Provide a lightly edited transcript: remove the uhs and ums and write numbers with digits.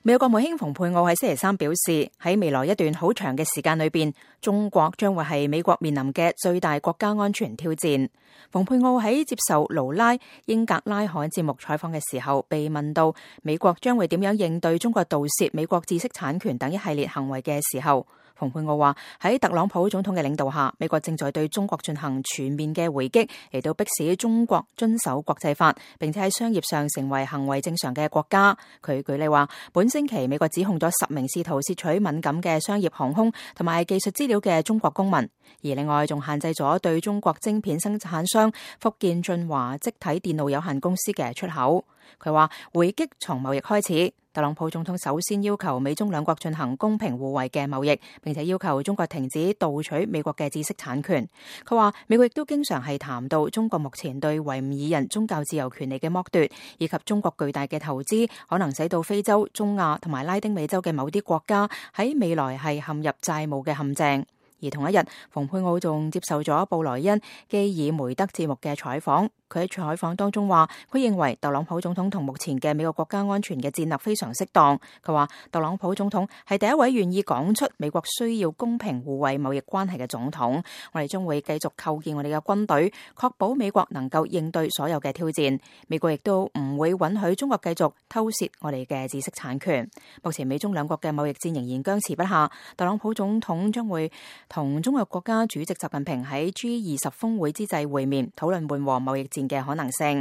美國國務卿蓬佩奧喺星期三表示，喺未來一段好長嘅時間裏邊，中國將會係美國面臨嘅最大國家安全挑戰。蓬佩奧喺接受盧拉英格拉罕節目採訪嘅時候，被問到美國將會點樣應對中國盜竊美國知識產權等一系列行為嘅時候，蓬佩奧話喺特朗普總統嘅領導下，美國正在對中國進行全面嘅回擊，嚟到迫使中國遵守國際法，並且喺商業上成為行為正常嘅國家。佢舉例話，本星期美國指控咗10名試圖竊取敏感嘅商業航空同埋技術資料嘅中國公民，而另外仲限制咗對中國晶片生產商福建晉華積體電路有限公司嘅出口。佢話回擊從貿易開始，特朗普總統首先要求美中兩國進行公平互惠嘅貿易，並且要求中國停止盜取美國嘅知識產權。佢話美國亦都經常係談到中國目前對維吾爾人宗教自由權利嘅剝奪，以及中國巨大嘅投資可能使到非洲、中亞同埋拉丁美洲嘅某啲國家喺未來係陷入債務嘅陷阱。而同一日，蓬佩奧仲接受咗布萊恩基爾梅德節目嘅採訪。佢喺採訪當中話，佢認為特朗普總統同目前嘅美國國家安全嘅戰略非常適當。佢話特朗普總統係第一位願意講出美國需要公平互惠貿易關係嘅總統。我哋將會繼續構建我哋嘅軍隊，確保美國能夠應對所有嘅挑戰。美國亦都唔會允許中國繼續偷竊我哋嘅知識產權。目前美中兩國嘅貿易戰仍然僵持不下。特朗普總統將會同中國國家主席習近平喺G20峰會之際會面，討論緩和貿易戰嘅可能性。